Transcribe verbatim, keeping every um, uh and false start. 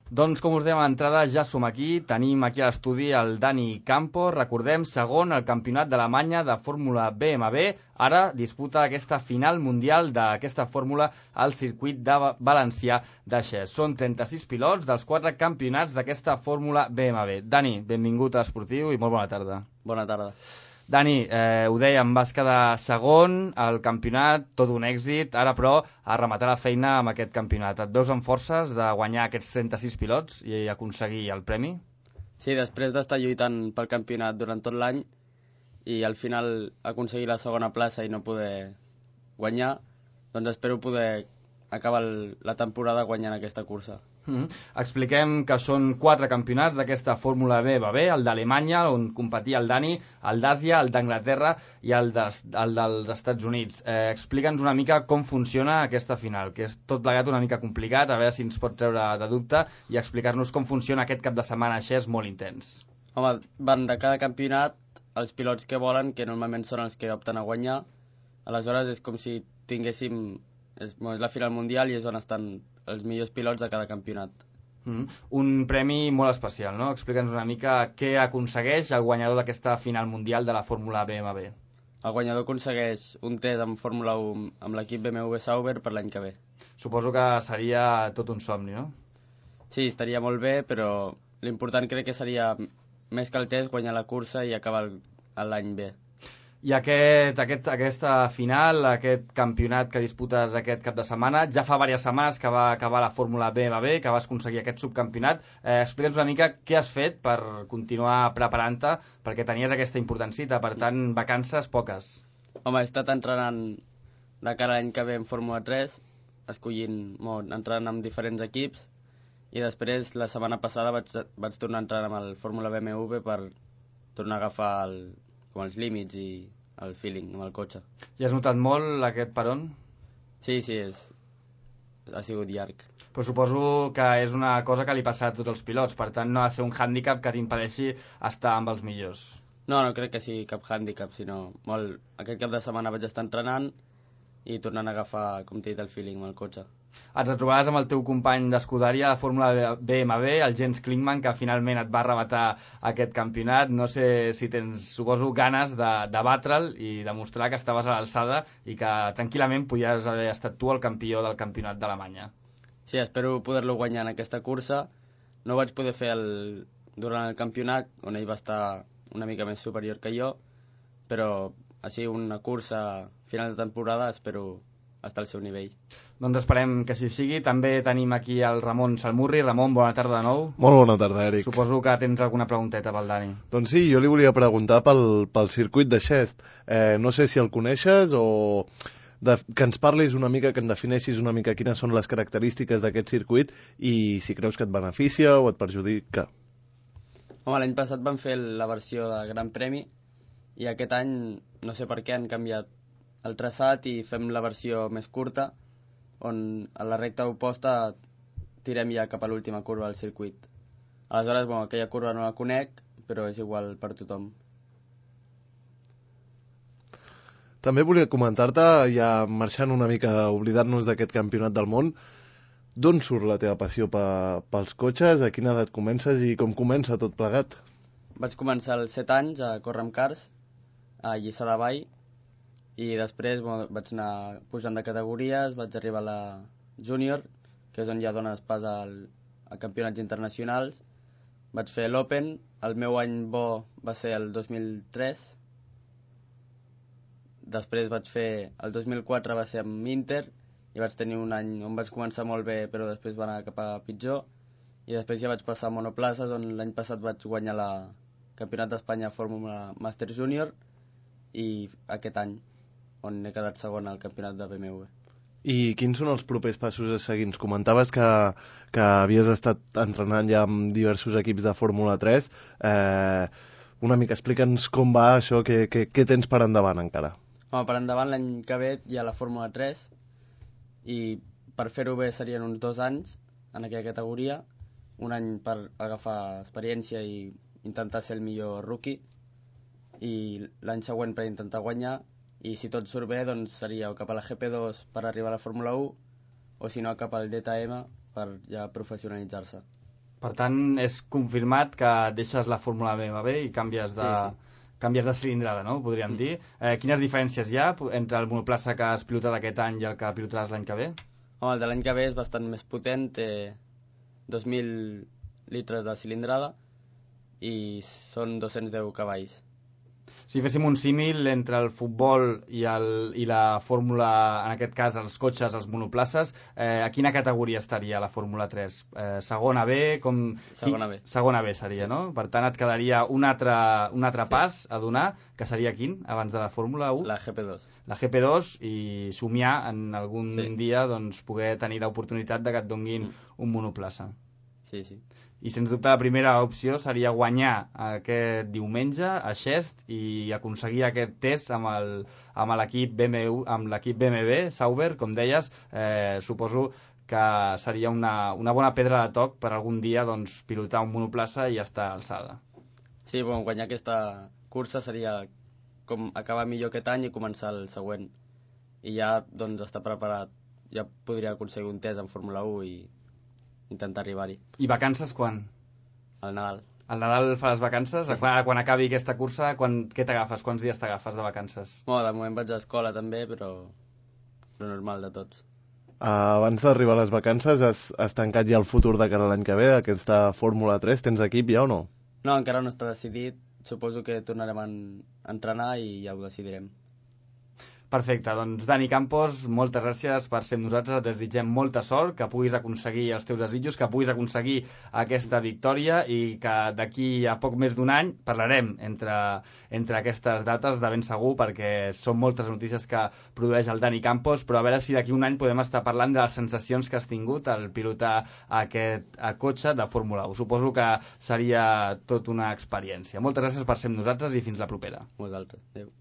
Doncs, com us dèiem a l'entrada, ja som aquí. Tenim aquí a l'estudi el Dani Campos, recordem, segon al Campionat d'Alemanya de Fórmula B M W. Ara disputa aquesta final mundial d'aquesta fórmula al circuit de Valencià de Xest. Són trenta-sis pilots dels quatre campionats d'aquesta fórmula B M W. Dani, benvingut a Esportiu i molt bona tarda. Bona tarda. Dani, eh, ho dèiem, vas quedar segon al campionat, tot un èxit, ara però a rematar la feina amb aquest campionat. Et veus amb forces de guanyar aquests trenta-sis pilots i aconseguir el premi? Sí, després d'estar lluitant pel campionat durant tot l'any i al final aconseguir la segona plaça i no poder guanyar, doncs espero poder acabar la temporada guanyant aquesta cursa. Mm-hmm. Expliquem que són quatre campionats d'aquesta Fórmula B M W, el d'Alemanya, on competia el Dani, el d'Àsia, el d'Anglaterra i el, de, el dels Estats Units. Eh, Explica'ns una mica com funciona aquesta final, que és tot plegat una mica complicat, a veure si ens pot treure de dubte i explicar-nos com funciona aquest cap de setmana així, és molt intens. Home, van de cada campionat els pilots que volen, que normalment són els que opten a guanyar. Aleshores és com si tinguéssim... És, és la final mundial i és on estan els millors pilots de cada campionat. Mm. Un premi molt especial, no? Explica'ns una mica què aconsegueix el guanyador d'aquesta final mundial de la Fórmula B M W. El guanyador aconsegueix un test en Fórmula u amb l'equip B M W Sauber per l'any que ve. Suposo que seria tot un somni, no? Sí, estaria molt bé, però l'important crec que seria més que el test guanyar la cursa i acabar l'any bé. I aquest, aquest, aquesta final, aquest campionat que disputes aquest cap de setmana, ja fa diverses setmanes que va acabar la Fórmula B M W, que vas aconseguir aquest subcampionat. Eh, Explica'ns una mica què has fet per continuar preparant-te, perquè tenies aquesta importància, per tant, vacances poques. Home, he estat entrenant de cara a l'any que ve en Fórmula tres, escollint, bon, entrenant amb diferents equips, i després, la setmana passada, vaig, vaig tornar a entrenar amb el Fórmula B M W per tornar a agafar el, com els límits i el feeling amb el cotxe. I has notat molt aquest peron? Sí, sí, és... ha sigut llarg. Però suposo que és una cosa que li passa a tots els pilots, per tant no ha de ser un hàndicap que t'impedeixi estar amb els millors. No, no crec que sigui cap hàndicap, sinó molt... Aquest cap de setmana vaig estar entrenant i tornant a agafar, com t'he dit, el feeling amb el cotxe. Et retrobaràs amb el teu company d'escuderia a la Fórmula B M W, el Jens Klingmann, que finalment et va arrebatar aquest campionat. No sé si tens, suposo, ganes de, de batre'l i demostrar que estaves a l'alçada i que tranquil·lament podies haver estat tu el campió del campionat d'Alemanya. Sí, espero poder-lo guanyar en aquesta cursa. No ho vaig poder fer el, durant el campionat, on ell va estar una mica més superior que jo, però així una cursa final de temporada espero estar al seu nivell. Doncs esperem que així sigui. També tenim aquí el Ramon Salmurri. Ramon, bona tarda de nou. Molt bona tarda, Eric. Suposo que tens alguna pregunteta pel Dani. Doncs sí, jo li volia preguntar pel, pel circuit de Xest. Eh, no sé si el coneixes o de, que ens parlis una mica, que en defineixis una mica quines són les característiques d'aquest circuit i si creus que et beneficia o et perjudica. Home, l'any passat van fer la versió de Gran Premi i aquest any no sé per què han canviat el traçat i fem la versió més curta, on a la recta oposta tirem ja cap a l'última curva del circuit. Aleshores, bueno, aquella curva no la conec, però és igual per tothom. També volia comentar-te, ja marxant una mica, oblidant-nos d'aquest campionat del món, d'on surt la teva passió pe, pels cotxes, a quina edat comences i com comença tot plegat? Vaig començar als set anys a córrer amb cars, a Lliçà de Vall, i després bueno, vaig anar pujant de categories, vaig arribar a la júnior, que és on ja dones pas al, a campionats internacionals. Vaig fer l'Open, el meu any bo va ser el dos mil tres, després vaig fer, el dos mil quatre va ser amb Inter, i vaig tenir un any on vaig començar molt bé, però després va anar cap a pitjor, i després ja vaig passar a monoplaces, on l'any passat vaig guanyar la Campionat d'Espanya Fórmula Master Júnior, i aquest any, on he quedat segon al campionat de B M W. I quins són els propers passos a seguir? Ens comentaves que, que havies estat entrenant ja amb diversos equips de Fórmula tres. Eh, una mica, explica'ns com va això, què, què, què tens per endavant encara? Home, per endavant l'any que ve hi ha la Fórmula tres i per fer-ho bé serien uns dos anys en aquella categoria, un any per agafar experiència i intentar ser el millor rookie i l'any següent per intentar guanyar. I si tot surt bé, doncs seria o cap a la G P dos per arribar a la Fórmula u o si no cap al D T M per ja professionalitzar-se. Per tant, és confirmat que deixes la Fórmula B M W i canvies de... Sí, sí. Canvies de cilindrada, no? Podríem mm. dir. Eh, quines diferències hi ha entre el monoplaça que has pilotat aquest any i el que pilotaràs l'any que ve? Home, el de l'any que ve és bastant més potent, té dos mil litres de cilindrada i són dos-cents deu cavalls. Si féssim un símil entre el futbol i, el, i la fórmula, en aquest cas els cotxes, els monoplaces, eh, a quina categoria estaria la Fórmula tres? Eh, segona B? Com... Segona B. Segona B seria, sí. No? Per tant, et quedaria un altre, un altre sí. pas a donar, que seria quin, abans de la Fórmula u? La G P dos. La G P dos i somiar en algun sí. dia doncs, poder tenir l'oportunitat de que et donguin mm. un monoplaça. Sí, sí. I sens dubte la primera opció seria guanyar aquest diumenge a Xest i aconseguir aquest test amb el, amb l'equip B M W, amb l'equip B M W, Sauber, com deies, eh, suposo que seria una, una bona pedra de toc per algun dia doncs, pilotar un monoplaça i estar a alçada. Sí, bueno, guanyar aquesta cursa seria com acabar millor aquest any i començar el següent. I ja doncs, estar preparat, ja podria aconseguir un test en Fórmula u i intentar arribar-hi. I vacances quan? Al Nadal. Al Nadal faràs vacances? Sí. Quan, quan acabi aquesta cursa, quan, què t'agafes? Quants dies t'agafes de vacances? Bueno, de moment vaig a escola també, però, però normal de tots. Uh, abans d'arribar a les vacances, has, has tancat ja el futur de cara a l'any que ve, aquesta Fórmula tres? Tens equip ja o no? No, encara no està decidit. Suposo que tornarem a entrenar i ja ho decidirem. Perfecte, doncs Dani Campos, moltes gràcies per ser amb nosaltres, et desitgem molta sort, que puguis aconseguir els teus desitjos, que puguis aconseguir aquesta victòria i que d'aquí a poc més d'un any parlarem entre, entre aquestes dates de ben segur, perquè són moltes notícies que produeix el Dani Campos, però a veure si d'aquí un any podem estar parlant de les sensacions que has tingut al pilotar aquest cotxe de Fórmula u. Suposo que seria tot una experiència. Moltes gràcies per ser amb nosaltres i fins la propera. Vosaltres. Adéu.